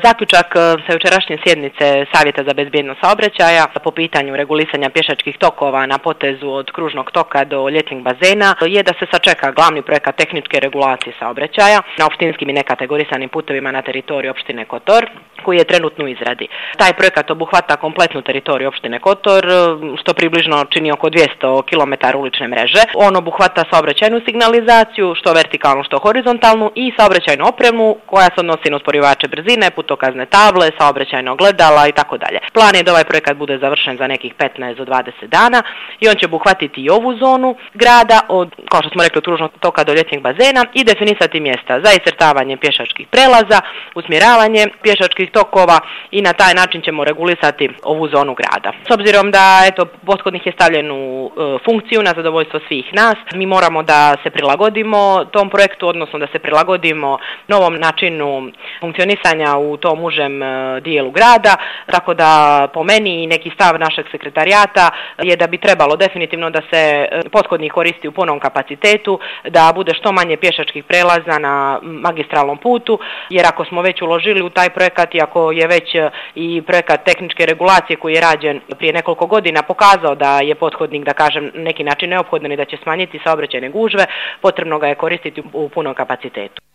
Zaključak sa jučerašnje sjednice Savjeta za bezbjednost saobraćaja po pitanju regulisanja pješačkih tokova na potezu od kružnog toka do ljetnih bazena je da se sačeka glavni projekat tehničke regulacije saobraćaja na opštinskim i nekategorisanim putevima na teritoriju opštine Kotor, koji je trenutno u izradi. Taj projekat obuhvata kompletnu teritoriju opštine Kotor, što približno čini oko 200 km ulične mreže. On obuhvata saobraćajnu signalizaciju, što vertikalnu, što horizontalnu, i saobraćajnu opremu koja se odnosi na usporivače brzine, putokazne table, saobraćajna ogledala i tako dalje. Plan je da ovaj projekat bude završen za nekih 15 do 20 dana i on će obuhvatiti i ovu zonu grada od, kao što smo rekli, od kružnog toka do ljetnih bazena i definisati mjesta za iscrtavanje pješačkih prelaza, usmjeravanje pješačkih tokova i na taj način ćemo regulisati ovu zonu grada. S obzirom da pothodnik je stavljen u funkciju na zadovoljstvo svih nas, mi moramo da se prilagodimo tom projektu, odnosno da se prilagodimo novom načinu funkcionisanja u tom užem dijelu grada, tako da po meni i neki stav našeg sekretarijata je da bi trebalo definitivno da se pothodnik koristi u punom kapacitetu, da bude što manje pješačkih prelaza na magistralnom putu, jer ako smo već uložili u taj projekat i ako je već i projekat tehničke regulacije koji je rađen prije nekoliko godina pokazao da je pothodnik, da kažem, neki način neophodan i da će smanjiti saobraćajne gužve, potrebno ga je koristiti u punom kapacitetu.